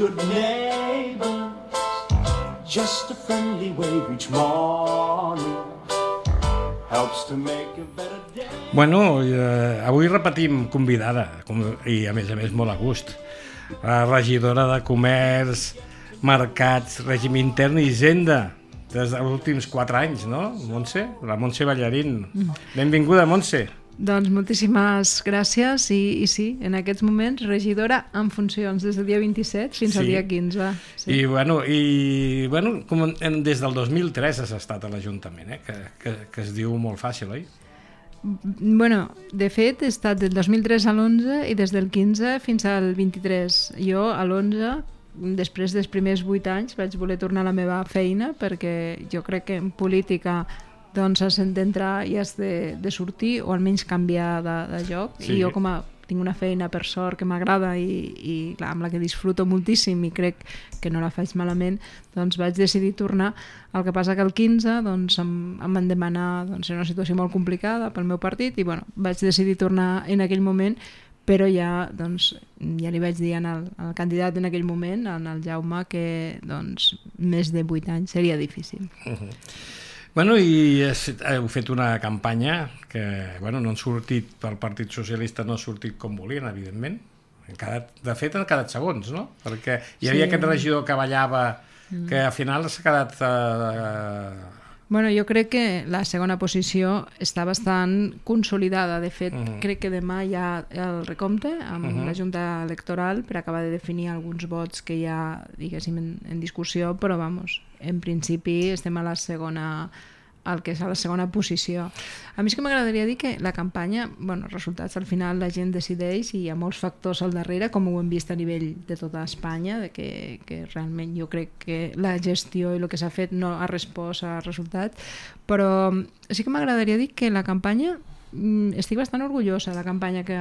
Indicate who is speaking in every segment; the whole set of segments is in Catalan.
Speaker 1: good neighbors, just a friendly wave each morning helps to make a better day.
Speaker 2: Bueno, avui repetim convidada, i a més molt a gust, la regidora de Comerç, Mercats, Règim Intern i Hisenda, des dels últims 4 anys, no, Montse? La Montse Ballarín. Benvinguda, Montse.
Speaker 3: Doncs moltíssimes gràcies i sí, en aquests moments regidora en funcions des del dia 27 fins al dia 15. Sí.
Speaker 2: I bueno, des del 2003 has estat a l'Ajuntament, que es diu molt fàcil, oi?
Speaker 3: Bueno, de fet he estat del 2003 a l'11 i des del 15 fins al 23. Jo a l'11, després dels primers 8 anys, vaig voler tornar a la meva feina perquè jo crec que en política doncs has d'entrar i has de sortir o almenys canviar de lloc. Sí. I jo tinc una feina per sort que m'agrada i clar, amb la que disfruto moltíssim i crec que no la faig malament, doncs vaig decidir tornar. El que passa que el 15 doncs, em van demanar, doncs, una situació molt complicada pel meu partit i bueno, vaig decidir tornar en aquell moment, però ja li vaig dir al candidat en aquell moment, al Jaume, que doncs, més de 8 anys seria difícil.
Speaker 2: Bueno, i heu fet una campanya que no han sortit, pel Partit Socialista no ha sortit com volien, evidentment. De fet, han quedat segons, no? Perquè hi havia aquest regidor que ballava, que al final s'ha quedat...
Speaker 3: Bueno, jo crec que la segona posició està bastant consolidada. De fet, crec que demà hi ha el recompte amb la Junta Electoral per acabar de definir alguns vots que hi ha, diguéssim, en discussió, però, en principi estem a la segona, el que és a la segona posició. A mi és que m'agradaria dir que la campanya, resultats al final la gent decideix i hi ha molts factors al darrere, com ho hem vist a nivell de tota Espanya, que realment jo crec que la gestió i el que s'ha fet no ha respost a resultats, però sí que m'agradaria dir que la campanya, estic bastant orgullosa de la campanya que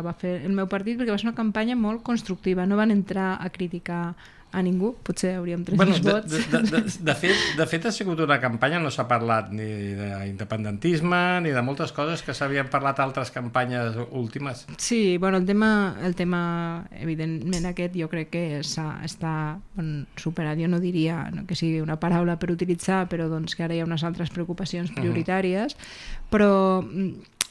Speaker 3: va fer el meu partit, perquè va ser una campanya molt constructiva, no van entrar a criticar a ningú, potser hauríem tret els vots.
Speaker 2: De fet ha sigut una campanya, no s'ha parlat ni d'independentisme ni de moltes coses que s'havien parlat a altres campanyes últimes.
Speaker 3: Sí, el tema evidentment aquest jo crec que està superat. Jo no diria que sigui una paraula per utilitzar, però que ara hi ha unes altres preocupacions prioritàries, però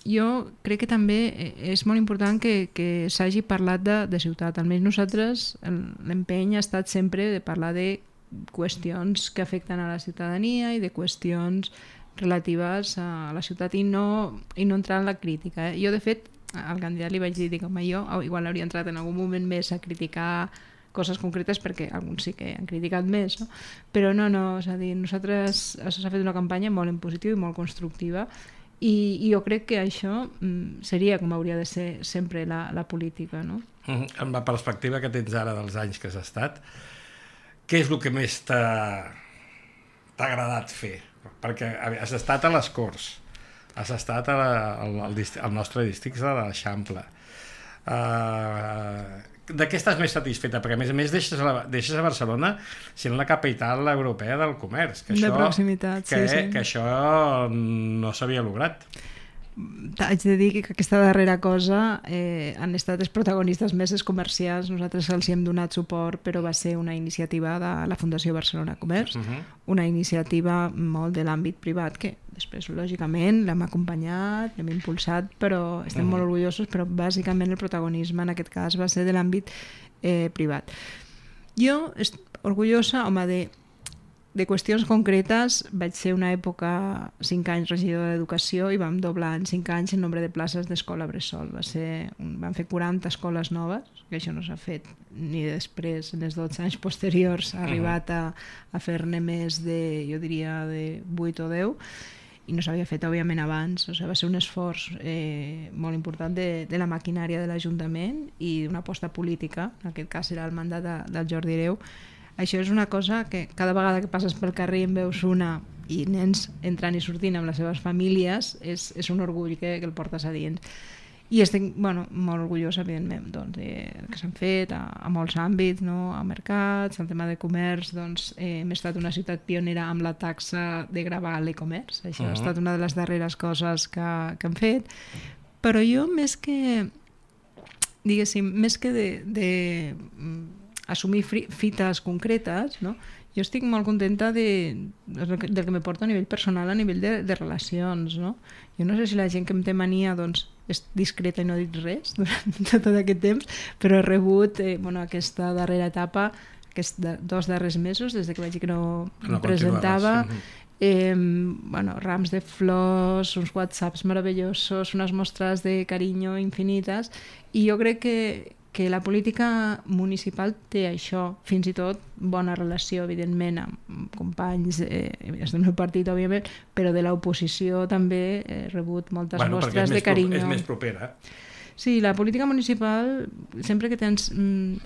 Speaker 3: jo crec que també és molt important que s'hagi parlat de ciutat. Almenys nosaltres, l'empeny ha estat sempre de parlar de qüestions que afecten a la ciutadania i de qüestions relatives a la ciutat i no entrar en la crítica. Jo, de fet, al candidat li vaig dir que jo igual hauria entrat en algun moment més a criticar coses concretes perquè alguns sí que han criticat més, no? Però no, és a dir, nosaltres s'ha fet una campanya molt en positiu i molt constructiva i jo crec que això seria com hauria de ser sempre la política, no?
Speaker 2: Amb la perspectiva que tens ara dels anys que has estat, què és el que més t'ha agradat fer? Perquè has estat a les Corts, has estat al nostre districte de l'Eixample. De què estàs més satisfeta? Perquè a més deixes a Barcelona sent la capital europea del comerç.
Speaker 3: De proximitat, sí.
Speaker 2: Que això no s'havia lograt.
Speaker 3: Haig de dir que aquesta darrera cosa han estat els protagonistes més els comerciants. Nosaltres els hi hem donat suport, però va ser una iniciativa de la Fundació Barcelona Comerç, una iniciativa molt de l'àmbit privat que després, lògicament, l'hem acompanyat, l'hem impulsat, però estem molt orgullosos, però bàsicament el protagonisme en aquest cas va ser de l'àmbit privat. Jo estic orgullosa, de qüestions concretes. Vaig ser una època 5 anys regidora d'Educació i vam doblar en 5 anys el nombre de places d'escola bressol. Vam fer 40 escoles noves, que això no s'ha fet ni després, en els 12 anys posteriors, ha arribat a fer-ne més de, jo diria, de 8 o 10, i no s'havia fet, òbviament, abans. Va ser un esforç molt important de la maquinària de l'Ajuntament i d'una aposta política, en aquest cas era el mandat del Jordi Hereu. Això és una cosa que cada vegada que passes pel carrer i en veus una i nens entrant i sortint amb les seves famílies és un orgull que el portes a dins. I estic molt orgullosa, evidentment, que s'han fet a molts àmbits, a mercats, al tema de comerç. Hem estat una ciutat pionera amb la taxa de gravar l'e-comerç. Això ha estat una de les darreres coses que hem fet. Però jo, més que de assumir fites concretes, no? Jo estic molt contenta del que me porta a nivell personal, a nivell de relacions, no? Jo no sé si la gent que em té mania doncs, és discreta i no ha dit res durant tot aquest temps, però he rebut aquesta darrera etapa, aquests 2 darrers mesos, des que vaig dir que no em presentava, rams de flors, uns whatsapps meravellosos, unes mostres de carinyo infinites, i jo crec que la política municipal té això, fins i tot bona relació, evidentment, amb companys del meu partit, òbviament, però de l'oposició també he rebut moltes mostres de carinyo.
Speaker 2: És més propera.
Speaker 3: Sí, la política municipal, sempre que tens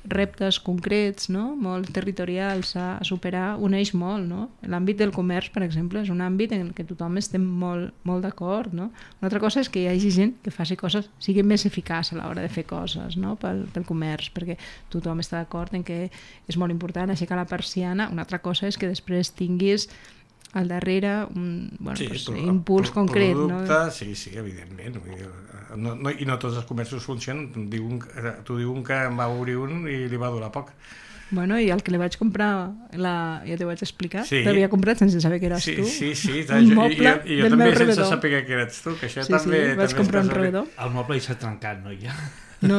Speaker 3: reptes concrets, no? Molt territorials a superar, uneix molt, no? L'àmbit del comerç, per exemple, és un àmbit en què tothom estem molt d'acord, no? Una altra cosa és que hi hagi gent que faci coses, sigui més eficaç a l'hora de fer coses, no? pel comerç, perquè tothom està d'acord en que és molt important aixecar la persiana. Una altra cosa és que després tinguis al darrere un impuls concret.
Speaker 2: Producte, no? Sí, evidentment. I no tots els comerços funcionen. T'ho diuen que en va obrir un i li va durar poc.
Speaker 3: Bueno, i el que li vaig comprar, ja t'ho vaig explicar, l'havia comprat sense saber que eres tu.
Speaker 2: Sí.
Speaker 3: Un moble
Speaker 2: I jo
Speaker 3: del meu
Speaker 2: també sense
Speaker 3: rebedor.
Speaker 2: saber que eres tu, que això
Speaker 3: Sí, vaig comprar un rebedor.
Speaker 4: El moble s'ha trencat, no? Ja.
Speaker 3: No.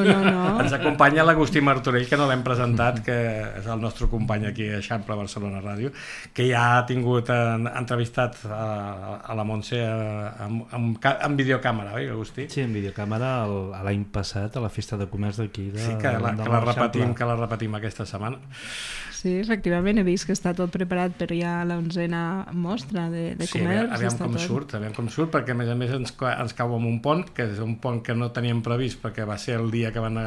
Speaker 2: Ens acompanya l'Agustí Martorell, que no l'hem presentat, que és el nostre company aquí a Eixample Barcelona Ràdio, que ja ha tingut entrevistat a la Montse en videocàmera, oi, Agustí?
Speaker 4: Sí, en videocàmera l'any passat a la festa de comerç d'aquí.
Speaker 2: Sí, que la repetim aquesta setmana.
Speaker 3: Sí, efectivament, he vist que està tot preparat per ja l'11a mostra de comerç.
Speaker 2: Aviam com surt, perquè a més ens cau amb un pont, que és un pont que no teníem previst perquè va ser el dia que van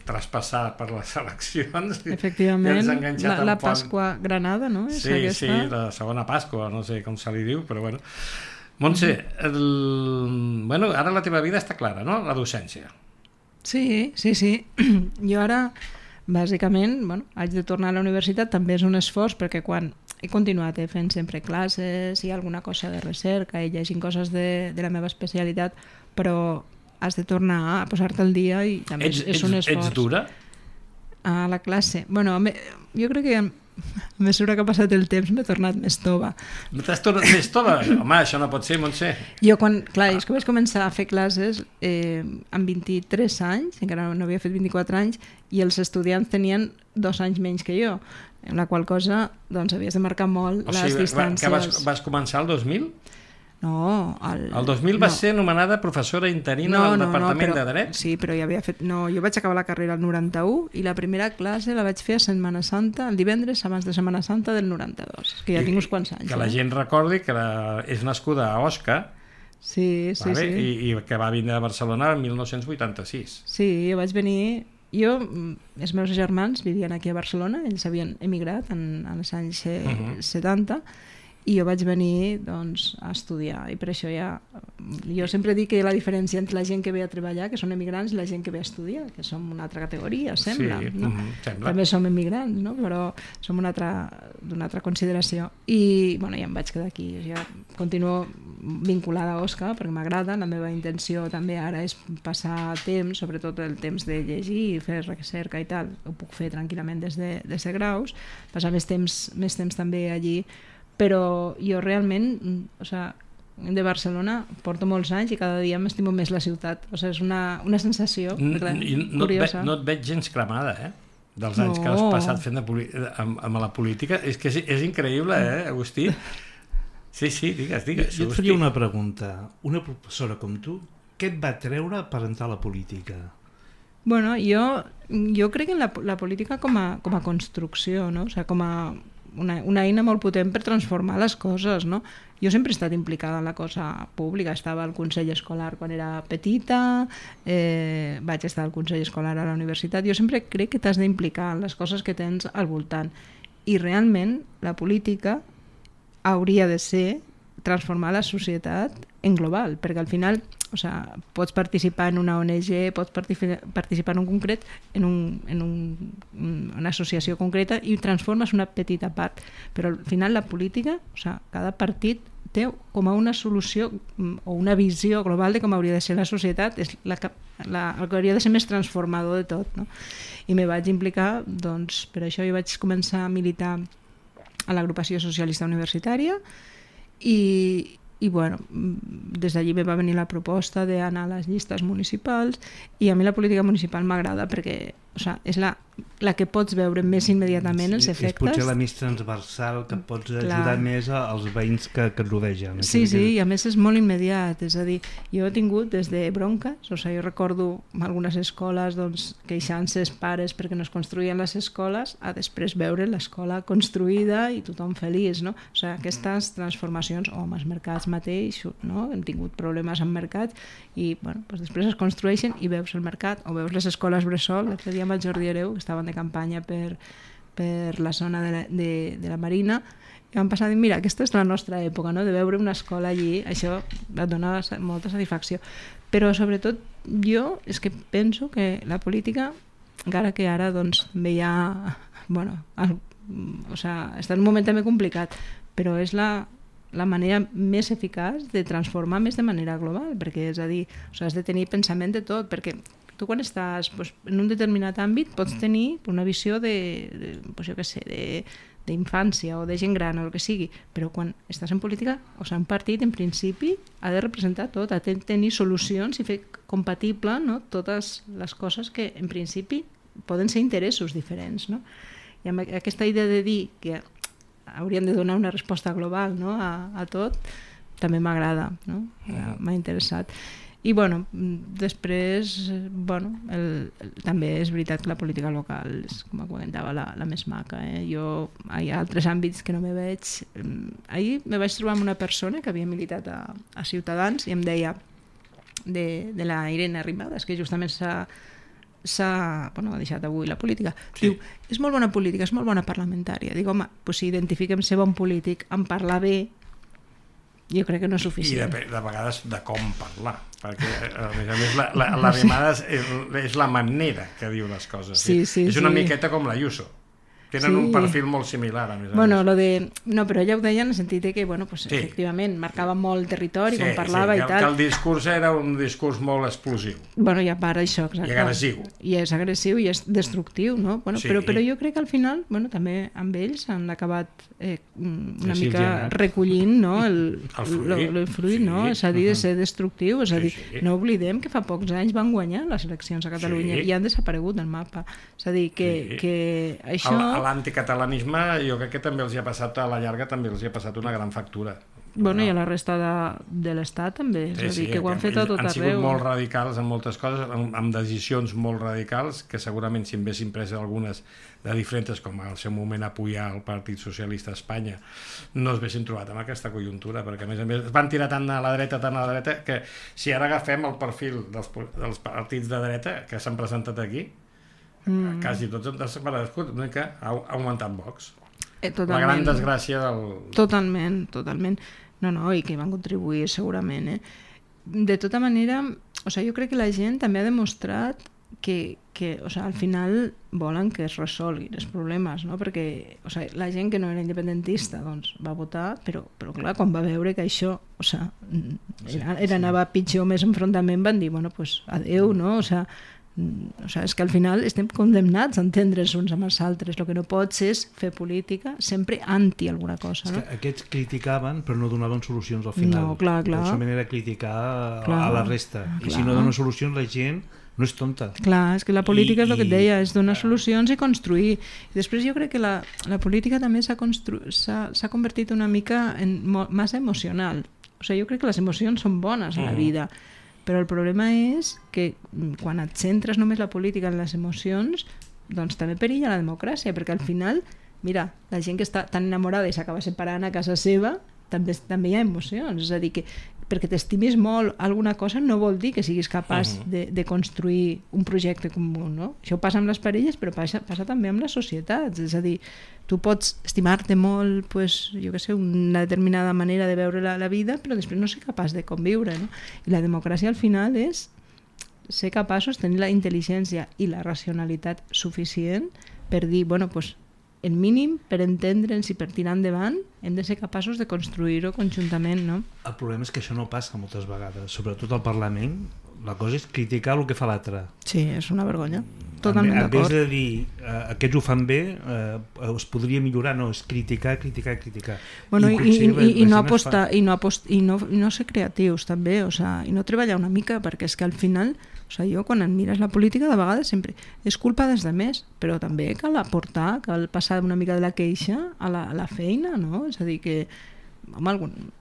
Speaker 2: traspassar per les eleccions.
Speaker 3: Efectivament, la Pasqua Granada, no?
Speaker 2: Sí, la segona Pasqua, no sé com se li diu, però bueno. Montse, ara la teva vida està clara, no? La docència.
Speaker 3: Sí. Jo ara, bàsicament, haig de tornar a la universitat, també és un esforç, perquè quan he continuat fent sempre classes, hi ha alguna cosa de recerca, i llegint coses de la meva especialitat, però has de tornar a posar-te al dia i també és un esforç.
Speaker 2: Ets dura?
Speaker 3: A la classe. Bueno, jo crec que a mesura que ha passat el temps m'he tornat més tova.
Speaker 2: T'has tornat més tova? Home, això no pot ser, Montse.
Speaker 3: Jo és que vaig començar a fer classes amb 23 anys, encara no havia fet 24 anys, i els estudiants tenien 2 anys menys que jo, en la qual cosa doncs havies de marcar molt les distàncies.
Speaker 2: Que vas començar el 2000?
Speaker 3: No,
Speaker 2: el 2000 vas ser nomenada professora interina del Departament de Dret?
Speaker 3: Sí, però ja havia fet... No, jo vaig acabar la carrera el 91 i la primera classe la vaig fer a Setmana Santa, el divendres abans de Setmana Santa del 92, que ja tinc uns quants anys.
Speaker 2: Que la gent recordi que és nascuda a Osca,
Speaker 3: sí.
Speaker 2: I que va vindre a Barcelona el 1986.
Speaker 3: Sí, jo vaig venir... Els meus germans vivien aquí a Barcelona, ells havien emigrat en els anys 70, i jo vaig venir a estudiar, i per això jo sempre dic que hi ha la diferència entre la gent que ve a treballar, que són emigrants, i la gent que ve a estudiar, que som una altra categoria, sembla, no?
Speaker 2: Sembla.
Speaker 3: També som emigrants, no? Però som d'una altra consideració, i ja em vaig quedar aquí. Jo continuo vinculada a Osca perquè m'agrada, la meva intenció també ara és passar temps, sobretot el temps de llegir, fer recerca i tal, ho puc fer tranquil·lament des de graus, passar més temps també allí. Però jo realment, de Barcelona porto molts anys i cada dia m'estimo més la ciutat. És una sensació curiosa.
Speaker 2: No et veig gens cremada, dels anys que has passat fent amb la política. És que és increïble, Agustí? Sí, digues.
Speaker 4: Jo et faria una pregunta. Una professora com tu, què et va treure per entrar a la política?
Speaker 3: Bueno, jo crec en la política com a construcció, no? Com a una eina molt potent per transformar les coses, no? Jo sempre he estat implicada en la cosa pública, estava al Consell Escolar quan era petita, vaig estar al Consell Escolar a la universitat, jo sempre crec que t'has d'implicar en les coses que tens al voltant, i realment la política hauria de ser transformar la societat en global, perquè al final pots participar en una ONG, pots participar en un concret, en una associació concreta, i transformes una petita part, però al final la política, cada partit té com a una solució o una visió global de com hauria de ser la societat, és el que hauria de ser més transformador de tot, no? I me vaig implicar, doncs, per això jo vaig començar a militar a l'agrupació socialista universitària i bueno, des d'allí me va venir la proposta d'anar a les llistes municipals i a mi la política municipal m'agrada perquè és la que pots veure més immediatament els efectes.
Speaker 4: És potser la més transversal que pots ajudar més als veïns que et rodegen.
Speaker 3: Sí, i a més és molt immediat, és a dir, jo he tingut des de bronques, jo recordo algunes escoles queixant-se els pares perquè no es construïen les escoles, a després veure l'escola construïda i tothom feliç, no? Aquestes transformacions, o amb els mercats mateix, no? Hem tingut problemes amb mercats i després es construeixen i veus el mercat o veus les escoles bressol. L'altre dia amb el Jordi Hereu, que estaven de campanya per la zona de la Marina, i vam passar a dir, mira, aquesta és la nostra època, no? De veure una escola allí, això et dona molta satisfacció. Però sobretot jo és que penso que la política, encara que ara també hi ha està en un moment també complicat, però és la manera més eficaç de transformar més de manera global, perquè és a dir, has de tenir pensament de tot, perquè tu quan estàs en un determinat àmbit pots tenir una visió d'infància o de gent gran o el que sigui, però quan estàs en política, un partit en principi ha de representar tot, ha de tenir solucions i fer compatible, no, totes les coses que en principi poden ser interessos diferents, no? I amb aquesta idea de dir que hauríem de donar una resposta global, no, a tot, també m'agrada, no? M'ha interessat. I després també és veritat que la política local és, com comentava, la més maca. Hi ha altres àmbits que no me veig. Ahir me vaig trobar amb una persona que havia militat a Ciutadans i em deia, de la Irene Arrimadas, que justament ha deixat avui la política. Diu, és molt bona política, és molt bona parlamentària. Dic, home, si identifiquem ser bon polític en parlar bé, jo crec que no és suficient.
Speaker 2: I de vegades de com parlar, perquè a més l'Arrimadas és la manera que diu les coses. És una miqueta com l'Ayuso. Tenen un perfil molt similar, a més a més.
Speaker 3: No, però ella ho deia en el sentit que, efectivament, marcava molt el territori, com parlava i tal.
Speaker 2: Que el discurs era un discurs molt explosiu.
Speaker 3: I a part això, exacte.
Speaker 2: I agressiu.
Speaker 3: I és agressiu i és destructiu, no? Però jo crec que al final, també amb ells han acabat una mica recollint, no? El fruit, no? És a dir, de ser destructiu, és a dir, no oblidem que fa pocs anys van guanyar les eleccions a Catalunya i han desaparegut del mapa. És a dir, que això...
Speaker 2: L'anticatalanisme jo crec que també els hi ha passat, a la llarga també els hi ha passat una gran factura.
Speaker 3: I a la resta de l'Estat també, és a dir, que ho han fet a tot arreu.
Speaker 2: Han sigut molt radicals en moltes coses, amb decisions molt radicals, que segurament si en haguessin pres algunes de diferents, com al seu moment apoyar el Partit Socialista a Espanya, no es haguessin trobat amb aquesta conjuntura, perquè a més van tirar tant a la dreta, que si ara agafem el perfil dels partits de dreta que s'han presentat aquí, quasi tots han desaparegut, una mica ha augmentat Vox. La gran desgràcia del...
Speaker 3: Totalment. No, i que van contribuir segurament. De tota manera, jo crec que la gent també ha demostrat que al final volen que es resolguin els problemes, no? Perquè la gent que no era independentista va votar, però clar, quan va veure que això anava pitjor, més enfrontament, van dir, adeu, no? És que al final estem condemnats a entendre's uns amb els altres. El que no pots és fer política sempre anti alguna cosa, no?
Speaker 4: Aquests criticaven però no donaven solucions al final.
Speaker 3: No, clar.
Speaker 4: De la manera de criticar a la resta. I si no donen solucions, la gent no és tonta.
Speaker 3: Clar, és que la política és el que et deia, és donar solucions i construir. I després jo crec que la política també s'ha convertit una mica en massa emocional. Jo crec que les emocions són bones a la vida, però el problema és que quan et centres només la política en les emocions, doncs també perilla la democràcia, perquè al final, mira, la gent que està tan enamorada i s'acaba separant a casa seva, també hi ha emocions, és a dir, que perquè t'estimis molt alguna cosa no vol dir que siguis capaç de construir un projecte comú, no? Això passa amb les parelles, però passa també amb les societats, és a dir, tu pots estimar-te molt, jo què sé, una determinada manera de veure la vida, però després no ser capaç de conviure, no? I la democràcia al final és ser capaços de tenir la intel·ligència i la racionalitat suficient per dir, el mínim per entendre'ns i per tirar endavant hem de ser capaços de construir-ho conjuntament, no?
Speaker 4: El problema és que això no passa moltes vegades, sobretot al Parlament. La cosa és criticar el que fa l'altre.
Speaker 3: Sí, és una vergonya. Totalment
Speaker 4: En vez
Speaker 3: d'acord.
Speaker 4: de dir aquests ho fan bé, es podria millorar, no, és criticar.
Speaker 3: Bueno,
Speaker 4: potser la
Speaker 3: i
Speaker 4: gent
Speaker 3: no
Speaker 4: es
Speaker 3: apostar i no ser creatius també, o sea, i no treballar una mica, perquè és que al final, o sea, jo quan em mires la política de vegades sempre és culpa dels demés, però també cal aportar, cal passar una mica de la queixa a la feina, no? És a dir que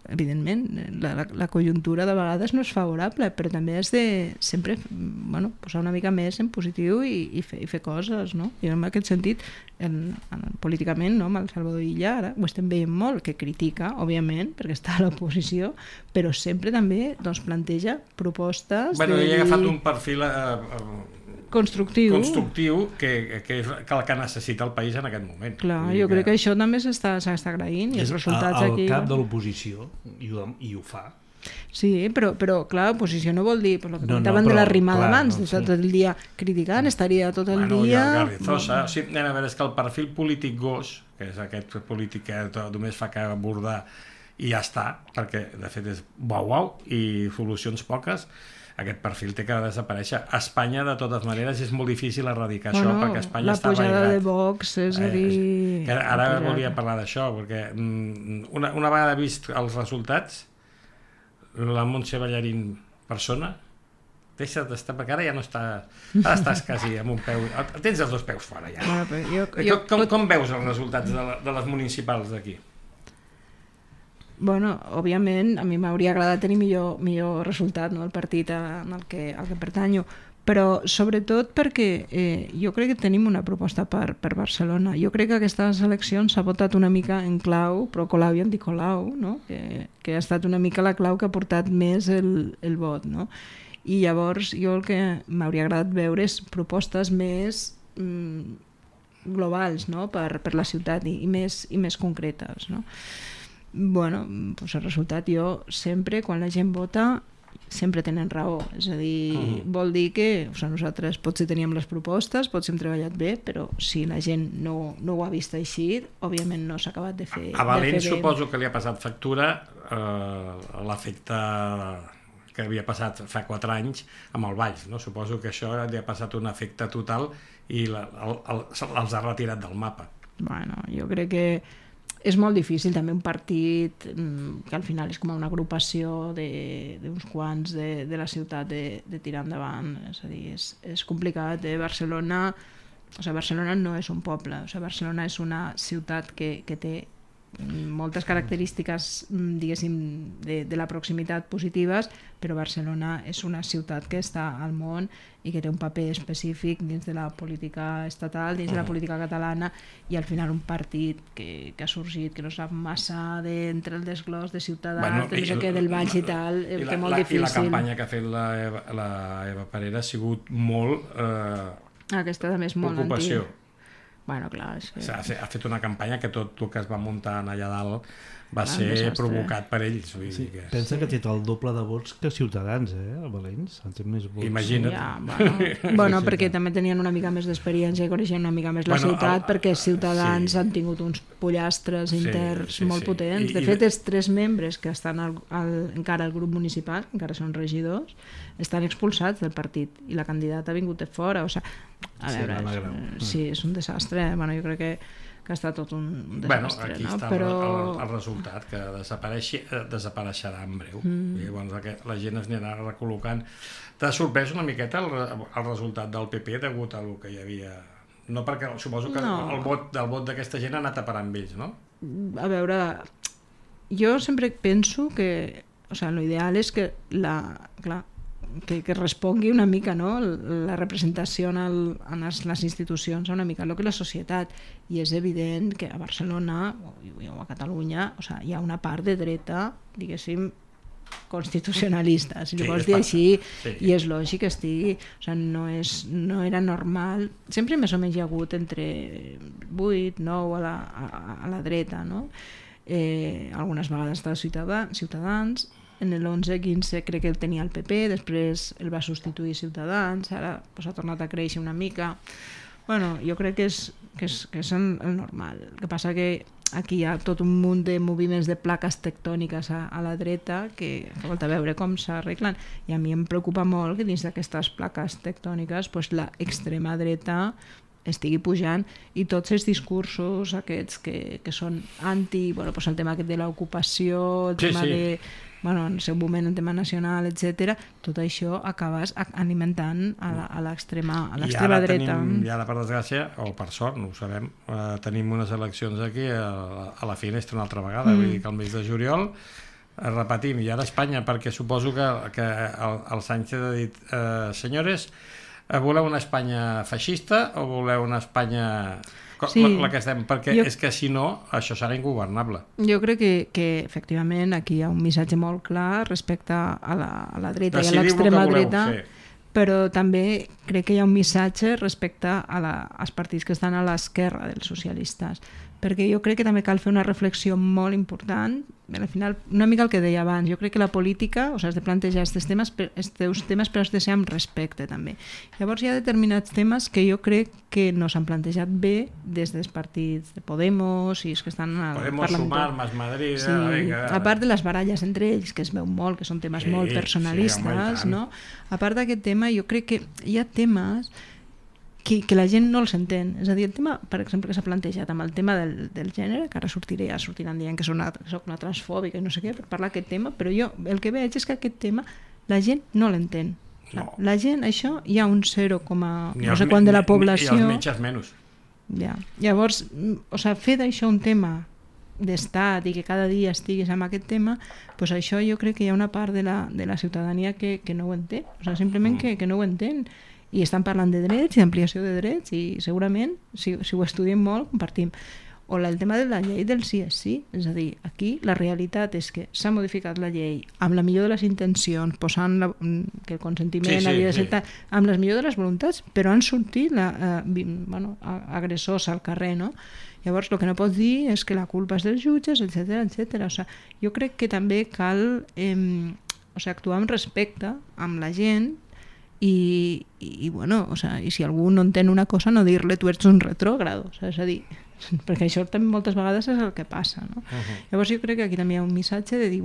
Speaker 3: evidentment la conjuntura de vegades no és favorable, però també has de sempre posar una mica més en positiu i fer coses, no? I en aquest sentit políticament, no? Amb el Salvador Illa ara ho estem veient molt, que critica òbviament perquè està a l'oposició, però sempre també planteja propostes
Speaker 2: ell ha agafat un perfil
Speaker 3: constructiu
Speaker 2: que és el que necessita el país en aquest moment.
Speaker 3: Clar, jo crec que això també s'està agraint i els resultats aquí...
Speaker 4: És el cap de l'oposició i ho fa.
Speaker 3: Sí, però clar, oposició no vol dir, per lo que comentaven de la rimada abans, de tot el dia criticant, estaria tot el dia...
Speaker 2: Garrizosa, sí, a veure, és que el perfil polític gos, que és aquest polític que només fa que abordar i ja està, perquè de fet és uau i solucions poques, aquest perfil té que desaparèixer. A Espanya, de totes maneres, és molt difícil erradicar això, perquè Espanya està arraigat.
Speaker 3: La pujada de Vox, és a dir...
Speaker 2: Ara volia parlar d'això, perquè una vegada vist els resultats, la Montse Ballarín persona, deixa d'estar, perquè ara ja no està... Ara estàs quasi amb un peu... Tens els dos peus fora, ja. Com veus els resultats de les municipals d'aquí?
Speaker 3: Bueno, òbviament, a mi m'hauria agradat tenir millor resultat, no?, el partit al que pertanyo, però sobretot perquè jo crec que tenim una proposta per Barcelona. Jo crec que aquestes eleccions s'ha votat una mica en clau pro-Colau i anti-Colau, no?, que ha estat una mica la clau que ha portat més el vot, no? I llavors jo el que m'hauria agradat veure és propostes més globals, no?, per la ciutat i més concretes, no? Bueno, doncs el resultat, jo sempre, quan la gent vota, sempre tenen raó, és a dir, vol dir que nosaltres potser teníem les propostes, potser hem treballat bé, però si la gent no ho ha vist així, òbviament no s'ha acabat de fer
Speaker 2: a Valent
Speaker 3: bé.
Speaker 2: Suposo que li ha passat factura l'efecte que havia passat fa 4 anys amb el Valls, no? Suposo que això li ha passat un efecte total i els ha retirat del mapa.
Speaker 3: Bueno, jo crec que és molt difícil també un partit que al final és com una agrupació d'uns quants de la ciutat de tirar endavant, és a dir, és complicat. Barcelona no és un poble, Barcelona és una ciutat que té moltes característiques, diguéssim, de la proximitat positives, però Barcelona és una ciutat que està al món i que té un paper específic dins de la política estatal, dins de la política catalana, i al final un partit que ha sorgit, que no sap massa entre el desglòs de Ciutadans, de no sé què, del Valls i tal, té molt difícil.
Speaker 2: I la campanya que ha fet la Eva Parera ha sigut molt
Speaker 3: aquesta també és molt
Speaker 2: ocupació.
Speaker 3: Bueno, clar,
Speaker 2: ha fet una campanya que tot el que es va muntar allà dalt va ser provocat per ells.
Speaker 4: Sí. Pensa que té el doble de vots que Ciutadans, a Valents. Més vots.
Speaker 2: Imagina't.
Speaker 3: Bueno, perquè també tenien una mica més d'experiència i coneixien una mica més la ciutat, perquè Ciutadans han tingut uns pollastres interns molt potents. De fet, els 3 membres que estan encara al grup municipal, encara són regidors, estan expulsats del partit i la candidata ha vingut de fora. A veure, sí, és un desastre. Bueno, jo crec que ha estat tot un desastre.
Speaker 2: Aquí està el resultat, que desapareixerà en breu. I llavors la gent es anirà recol·locant. T'ha sorprès una miqueta el resultat del PP degut a el que hi havia? No, perquè suposo que el vot d'aquesta gent ha anat a parar amb ells, no?
Speaker 3: A veure, jo sempre penso que l'ideal és que que respongui una mica, no?, la representació en les institucions a una mica el que és la societat, i és evident que a Barcelona o a Catalunya hi ha una part de dreta, diguéssim, constitucionalista, si li vols dir així, i és lògic que estigui, no era normal, sempre més o menys hi ha hagut entre 8, 9 a la dreta, no? Algunes vegades està Ciutadans. En el 11-15 crec que el tenia el PP, després el va substituir Ciutadans, ara s'ha tornat a créixer una mica. Bueno, jo crec que és el normal. El que passa que aquí hi ha tot un munt de moviments de plaques tectòniques a la dreta que falta veure com s'arreglen. I a mi em preocupa molt que dins d'aquestes plaques tectòniques l'extrema dreta estigui pujant i tots els discursos aquests que són anti, el tema aquest de l'ocupació, el tema de... en el seu moment el tema nacional, etc. Tot això acabes alimentant a l'extrema dreta.
Speaker 2: I ara, per desgràcia, o per sort, no ho sabem, tenim unes eleccions aquí a la finestra una altra vegada, vull dir que el mes de juliol repetim, i ara Espanya, perquè suposo que el Sánchez ha dit senyores, voleu una Espanya feixista o voleu una Espanya... la que estem, perquè és que si no això serà ingovernable.
Speaker 3: Jo crec que efectivament aquí hi ha un missatge molt clar respecte a la dreta i a l'extrema dreta, però també crec que hi ha un missatge respecte als partits que estan a l'esquerra dels socialistes, perquè jo crec que també cal fer una reflexió molt important. Al final, una mica el que deia abans, jo crec que la política, has de plantejar aquests temes, però has de ser amb respecte també. Llavors hi ha determinats temes que jo crec que no s'han plantejat bé des dels partits de Podemos i els que estan al Parlament.
Speaker 2: Podemos Sumar, Más Madrid...
Speaker 3: A part de les baralles entre ells, que es veu molt, que són temes molt personalistes, no? A part d'aquest tema, jo crec que hi ha temes que la gent no els entén. És a dir, el tema, per exemple, que s'ha plantejat amb el tema del gènere, que ara sortiran dient que soc una transfòbica i no sé què per parlar d'aquest tema, però jo el que veig és que aquest tema la gent no l'entén. No. La gent, això, hi ha un 0, no sé quant de la població...
Speaker 2: I els metges menys.
Speaker 3: Ja. Llavors, fer d'això un tema d'estat i que cada dia estiguis amb aquest tema, doncs això jo crec que hi ha una part de la ciutadania que no ho entén. Simplement que no ho entén. I estan parlant de drets i d'ampliació de drets i segurament, si ho estudiem molt, compartim. O el tema de la llei del sí és sí. És a dir, aquí la realitat és que s'ha modificat la llei amb la millor de les intencions, posant que el consentiment havia de ser amb les millors de les voluntats, però han sortit agressors al carrer, no? Llavors, el que no pots dir és que la culpa és dels jutges, etc. Jo crec que també cal actuar amb respecte amb la gent i si algú no entén una cosa, no dir-li tu ets un retrògrado, és a dir, perquè això també moltes vegades és el que passa, no? Llavors jo crec que aquí també hi ha un missatge de dir,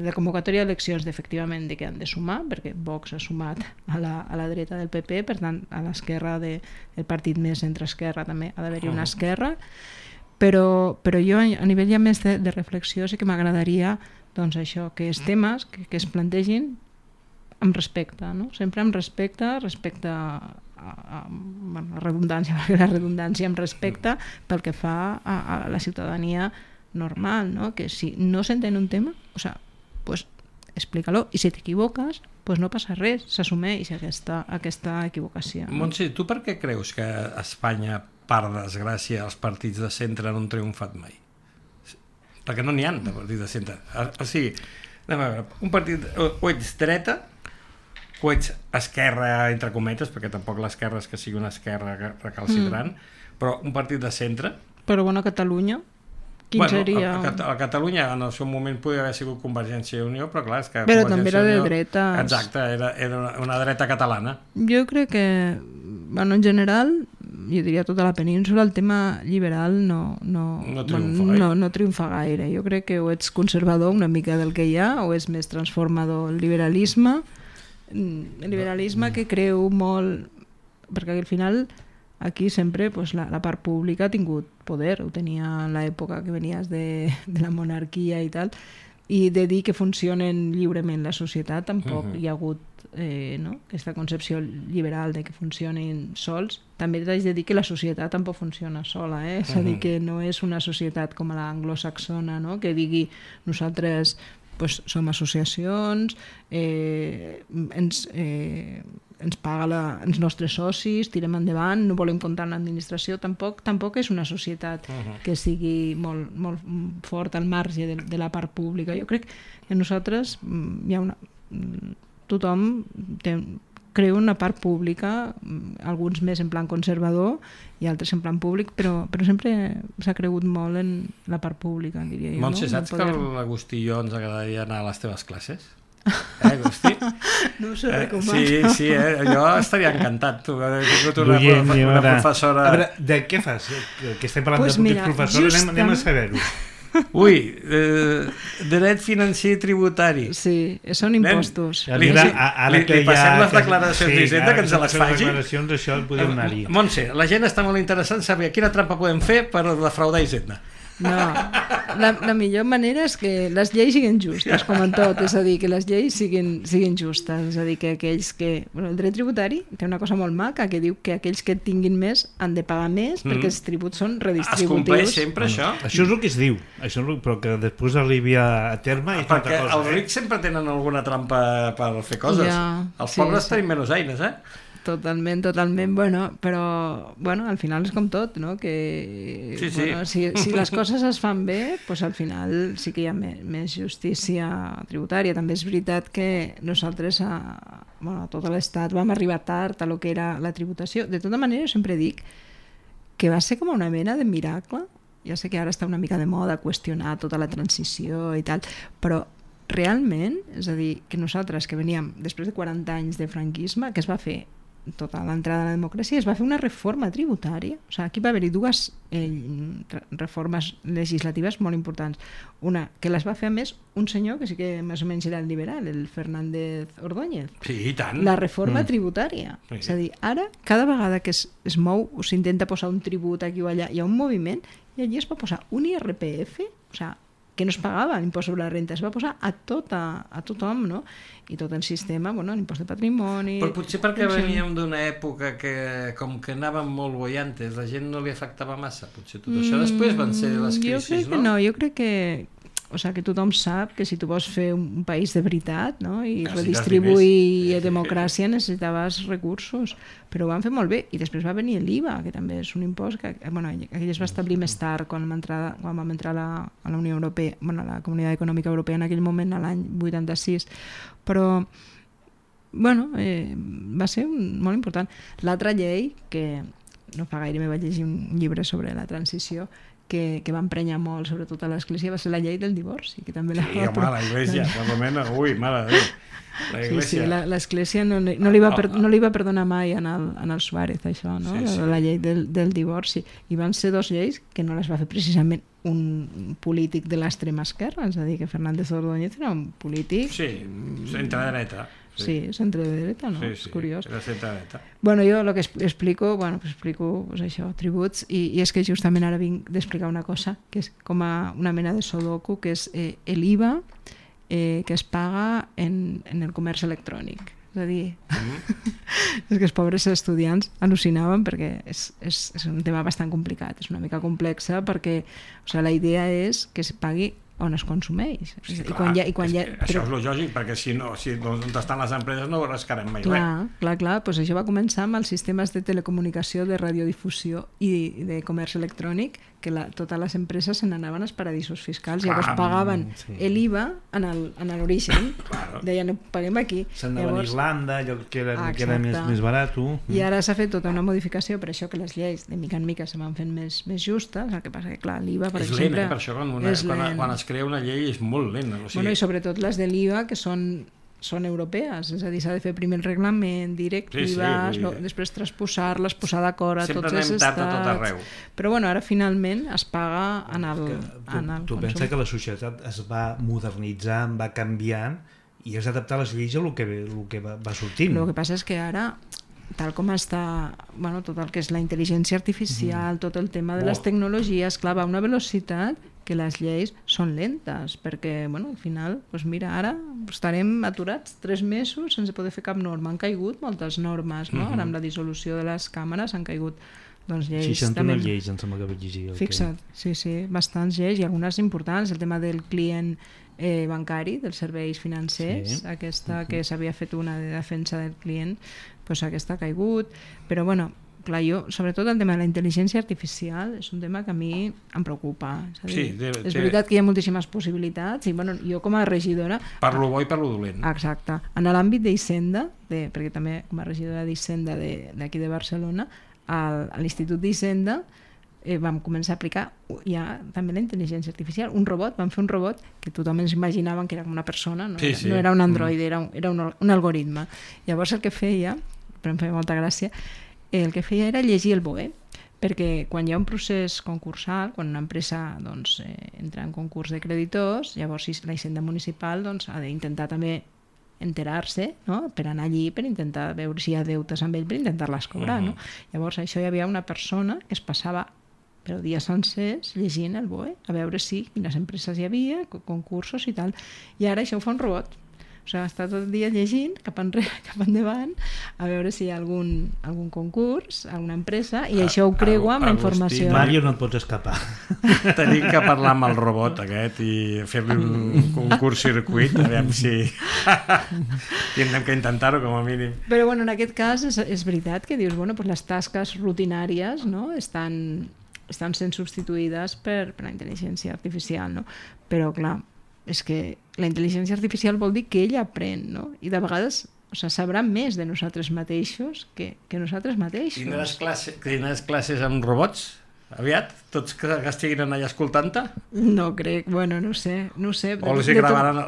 Speaker 3: la convocatòria d'eleccions efectivament que han de sumar, perquè Vox ha sumat a la dreta del PP, per tant a l'esquerra del partit més centre-esquerra també ha d'haver-hi una esquerra, però jo a nivell ja més de reflexió sí que m'agradaria això, que els temes que es plantegin amb respecte, no? Sempre amb respecte a la redundància, amb respecte pel que fa a la ciutadania normal, no? Que si no s'entén un tema, explica-lo, i si t'equivoques, no passa res, s'assumeix aquesta equivocació.
Speaker 2: Montse, tu per què creus que a Espanya, per desgràcia, els partits de centre no han triomfat mai? Perquè no n'hi ha de partits de centre. O sigui, anem a veure, un partit o ets dreta o ets esquerra, entre cometes, perquè tampoc l'esquerra és que sigui una esquerra recalcitrant, però un partit de centre...
Speaker 3: Però a Catalunya, quin seria?
Speaker 2: A Catalunya en el seu moment podria haver sigut Convergència i Unió, però clar, és que...
Speaker 3: Però també era de dretes.
Speaker 2: Exacte, era una dreta catalana.
Speaker 3: Jo crec que, en general, jo diria tota la península, el tema liberal no triomfa gaire. Jo crec que o ets conservador una mica del que hi ha, o és més transformador. El liberalisme que creu molt... Perquè al final aquí sempre la part pública ha tingut poder, ho tenia en l'època que venies de la monarquia i tal, i de dir que funcionen lliurement la societat tampoc hi ha hagut aquesta concepció liberal de que funcionin sols. També t'haig de dir que la societat tampoc funciona sola, és a dir, que no és una societat com la anglosaxona, no? Que digui nosaltres som associacions, ens paga els nostres socis, tirem endavant, no volem comptar amb l'administració. Tampoc és una societat que sigui molt, molt fort al marge de la part pública. Jo crec que nosaltres tothom creu una part pública, alguns més en plan conservador i altres en plan públic, però sempre s'ha cregut molt en la part pública, diria jo.
Speaker 2: Montse, saps que l'Agustí i jo ens agradaria anar a les teves classes? Agustí?
Speaker 3: No us ho recomano.
Speaker 2: Sí, jo estaria encantat. Tu, he tingut una
Speaker 4: Ara,
Speaker 2: professora...
Speaker 4: A veure, de què fas? Que estem parlant
Speaker 3: Pues
Speaker 4: de
Speaker 3: mira,
Speaker 4: professors, anem a saber-ho.
Speaker 2: Ui, dret financer i tributari.
Speaker 3: Sí, són impostos.
Speaker 2: Li passem les declaracions d'Hisenda, que ens les faci?
Speaker 4: Les declaracions, això podem anar-hi.
Speaker 2: Montse, la gent està molt interessant en saber quina trampa podem fer per defraudar Hisenda.
Speaker 3: No, la millor manera és que les lleis siguin justes, com en tot, és a dir, que les lleis siguin justes, és a dir, que aquells que... Bueno, el dret tributari té una cosa molt maca, que diu que aquells que tinguin més han de pagar més perquè els tributs són redistributius.
Speaker 2: Es compleix sempre això?
Speaker 4: Això és el que es diu, però que després arribi a terme és
Speaker 2: perquè
Speaker 4: altra cosa.
Speaker 2: Els rics sempre tenen alguna trampa per fer coses. Els pobres tenim menys eines,
Speaker 3: Totalment, bueno, però al final és com tot, no? Que,
Speaker 2: sí.
Speaker 3: Bueno, si les coses es fan bé, doncs al final sí que hi ha més justícia tributària. També és veritat que nosaltres a tot l'estat vam arribar tard a lo que era la tributació. De tota manera, jo sempre dic que va ser com una mena de miracle. Ja sé que ara està una mica de moda qüestionar tota la transició i tal, però realment, és a dir, que nosaltres que veníem després de 40 anys de franquisme, que es va fer tota l'entrada a la democràcia, es va fer una reforma tributària. O sigui, aquí va haver-hi dues reformes legislatives molt importants. Una, que les va fer a més un senyor que sí que més o menys era el liberal, el Fernández Ordóñez.
Speaker 2: Sí, i tant.
Speaker 3: La reforma tributària. Sí. És a dir, ara, cada vegada que es mou o s'intenta posar un tribut aquí o allà, hi ha un moviment i allí es va posar un IRPF, o sigui, que no es pagava l'impost sobre la renta, es va posar a tothom, no? I tot el sistema, l'impost de patrimoni...
Speaker 2: Però potser perquè veníem d'una època que, com que anàvem molt boiantes, la gent no li afectava massa, potser tot això. Després van ser les crisis,
Speaker 3: no? Jo crec que que tothom sap que si tu vols fer un país de veritat, no? I redistribuir democràcia necessitaves recursos, però ho van fer molt bé. I després va venir l'IVA, que també és un impost que aquell es va establir més tard quan vam entrar a la Unió Europea, a la Comunitat Econòmica Europea en aquell moment, a l'any 86, però va ser molt important. L'altra llei, que no fa gaire me vaig llegir un llibre sobre la transició, que va emprenyar molt, sobretot a l'Església, va ser la llei del divorci, que també
Speaker 2: la Iglesia, per lo menos, mare de Déu.
Speaker 3: Sí, l'Església no li va perdonar mai en el Suárez, això, no? La llei del divorci. I van ser dues lleis que no les va fer precisament un polític de l'extrema esquerra, és a dir, que Fernández Ordóñez era un polític...
Speaker 2: Sí, centre-dreta.
Speaker 3: Sí, centre-dreta, no? És curiós.
Speaker 2: Era centre-dreta.
Speaker 3: Jo el que explico això, tributs, i és que justament ara vinc d'explicar una cosa, que és com una mena de sudoku, que és l'IVA que es paga en el comerç electrònic. És a dir, és que els pobres estudiants al·lucinaven perquè és un tema bastant complicat, és una mica complexa perquè la idea és que es pagui on es consumeix.
Speaker 2: Sí, clar, això és el lògic, perquè si no, on estan les empreses no ho rascarem mai res.
Speaker 3: Clar, doncs això va començar amb els sistemes de telecomunicació, de radiodifusió i de comerç electrònic, que totes les empreses se n'anaven als paradisos fiscals, llavors pagaven l'IVA en l'origen, deien, paguem aquí.
Speaker 4: Se'n anaven a Irlanda, allò que era més barat.
Speaker 3: I ara s'ha fet tota una modificació, per això que les lleis de mica en mica se van fent més justes, el que passa que, clar, l'IVA, per exemple...
Speaker 2: És lent, per això quan es crea una llei és molt lent.
Speaker 3: I sobretot les de l'IVA, que són europees, és a dir, s'ha de fer primer el reglament, directives, després transposar-les, posar d'acord a tots els estats.
Speaker 2: Sempre anem tard a tot arreu.
Speaker 3: Però ara finalment es paga en el consum.
Speaker 4: Tu penses que la societat es va modernitzant, va canviant i has d'adaptar les lleis a el que va sortint.
Speaker 3: El que passa és que ara, tal com està tot el que és la intel·ligència artificial, tot el tema de les tecnologies, clar, va a una velocitat que les lleis són lentes, perquè al final, mira, ara estarem aturats 3 mesos sense poder fer cap norma. Han caigut moltes normes, no? Ara amb la dissolució de les càmeres han caigut lleis.
Speaker 4: 61 lleis, em sembla que vaig llegir.
Speaker 3: Fixa't, sí, bastants lleis i algunes importants. El tema del client bancari, dels serveis financers, aquesta que s'havia fet una de defensa del client, aquesta ha caigut, però clar, sobretot el tema de la intel·ligència artificial és un tema que a mi em preocupa. És veritat que hi ha moltíssimes possibilitats i jo com a regidora...
Speaker 2: Per lo bo i per lo dolent.
Speaker 3: Exacte. En l'àmbit d'Hisenda, perquè també com a regidora d'Hisenda d'aquí de Barcelona, a l'Institut d'Hisenda vam començar a aplicar ja també la intel·ligència artificial. Vam fer un robot que tothom ens imaginaven que era com una persona, no, no era un androide, era un algoritme. Llavors el que feia, però em feia molta gràcia, el que feia era llegir el BOE, perquè quan hi ha un procés concursal, quan una empresa entra en concurs de creditors, llavors la Hisenda Municipal ha d'intentar també enterar-se, no? Per anar allí, per intentar veure si hi ha deutes amb ell, per intentar-les cobrar. No? Llavors això hi havia una persona que es passava però dies sencers llegint el BOE, a veure quines empreses hi havia, concursos i tal. I ara això ho fa un robot. O sigui, està tot el dia llegint cap enrere, cap endavant, a veure si hi ha algun concurs, alguna empresa, i això ho creua amb la informació.
Speaker 4: Mario, no et pots escapar.
Speaker 2: Tenim que parlar amb el robot aquest i fer-li un concurs circuit, aviam si tindrem que intentar-ho com a mínim.
Speaker 3: Però bueno, en aquest cas és veritat que dius, bueno, pues les tasques rutinàries, no, estan sent substituïdes per la intel·ligència artificial, no? Però clar, és que la intel·ligència artificial vol dir que ella aprèn, no? I de vegades sabrà més de nosaltres mateixos que nosaltres mateixos.
Speaker 2: Tindràs classes amb robots? Aviat? Tots que estiguin allà escoltant-te?
Speaker 3: No crec, bueno, no sé.
Speaker 2: O els gravaran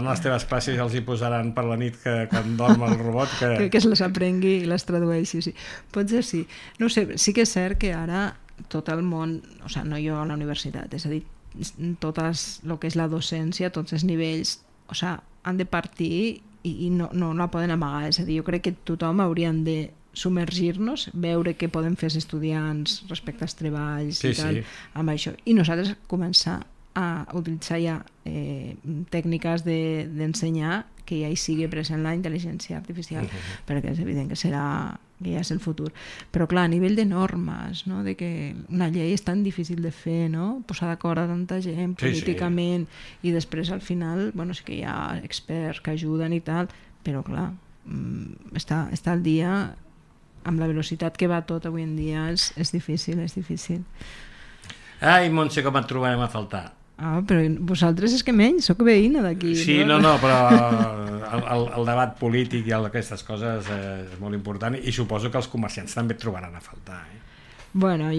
Speaker 2: les teves classes i els hi posaran per la nit que quan dorm el robot que
Speaker 3: es les aprengui i les tradueixi, sí. Potser sí. No sé, sí que és cert que ara tot el món, o sigui, no jo a la universitat, és a dir, tot el que és la docència, tots els nivells, o sigui, han de partir i no la poden amagar. És a dir, jo crec que tothom hauríem de submergir-nos, veure què poden fer els estudiants respecte als treballs i tal, amb això. I nosaltres començar a utilitzar ja tècniques d'ensenyar que ja hi sigui present la intel·ligència artificial, perquè és evident que ja és el futur. Però clar, a nivell de normes, no? De que una llei és tan difícil de fer, no? Posar d'acord a tanta gent políticament, i després al final, bueno, sí que hi ha experts que ajuden i tal, però clar, estar al dia amb la velocitat que va tot avui en dia és difícil.
Speaker 2: Ai, Montse, com et trobarem a faltar?
Speaker 3: Però vosaltres és que menys, sóc veïna d'aquí.
Speaker 2: Sí, no, però el debat polític i aquestes coses és molt important i suposo que els comerciants també et trobaran a faltar.
Speaker 3: Bueno,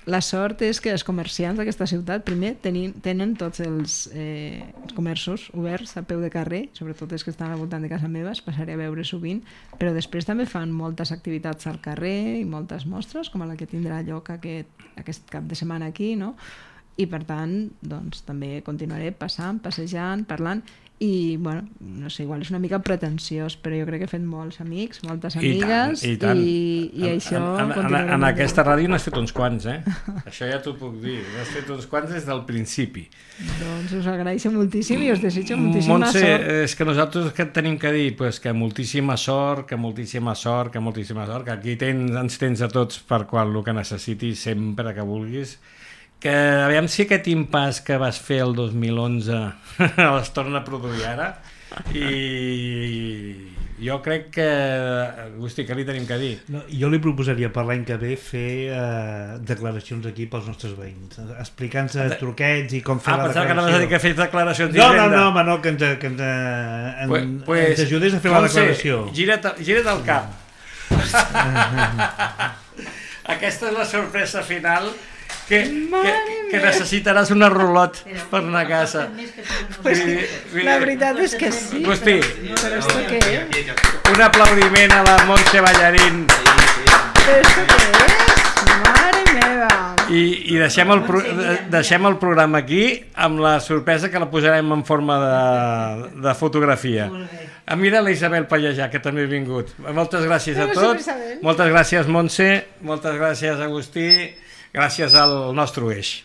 Speaker 3: la sort és que els comerciants d'aquesta ciutat primer tenen tots els comerços oberts a peu de carrer, sobretot els que estan al voltant de casa meva, es passaré a veure sovint, però després també fan moltes activitats al carrer i moltes mostres, com la que tindrà lloc aquest cap de setmana aquí, no? I per tant, doncs, també continuaré passejant, parlant i, bueno, no sé, igual és una mica pretensiós, però jo crec que he fet molts amics, moltes amigues i això continuarem.
Speaker 2: En aquesta ràdio n'has fet uns quants, això ja t'ho puc dir, n'has fet uns quants des del principi.
Speaker 3: Doncs us agraeixo moltíssim i us desitjo moltíssima
Speaker 2: Montse,
Speaker 3: sort.
Speaker 2: és que nosaltres què tenim que dir? Pues que moltíssima sort, que aquí ens tens a tots per el que necessitis sempre que vulguis, que aviam si aquest impàs que vas fer el 2011 es torna a produir ara, i jo crec que Agustí, què li tenim que dir?
Speaker 4: No, jo li proposaria per l'any que ve fer declaracions aquí pels nostres veïns, explicant-nos truquets i com fer la declaració.
Speaker 2: Pensava que anaves a dir que fes declaracions
Speaker 4: no, que ens ajudés a fer la declaració.
Speaker 2: Gira't el cap. Aquesta és la sorpresa final que necessitaràs una rulot per anar a casa.
Speaker 3: Pues la veritat és que sí.
Speaker 2: Agustí,
Speaker 3: però esto què és?
Speaker 2: un aplaudiment a la Montse Ballarín.
Speaker 3: Però esto què és? Mare meva!
Speaker 2: I deixem el programa aquí amb la sorpresa que la posarem en forma de fotografia. Mira la Isabel Pallejà, que també ha vingut. Moltes gràcies a tots. Moltes gràcies, Montse. Moltes gràcies, Agustí. Gràcies al nostre eix.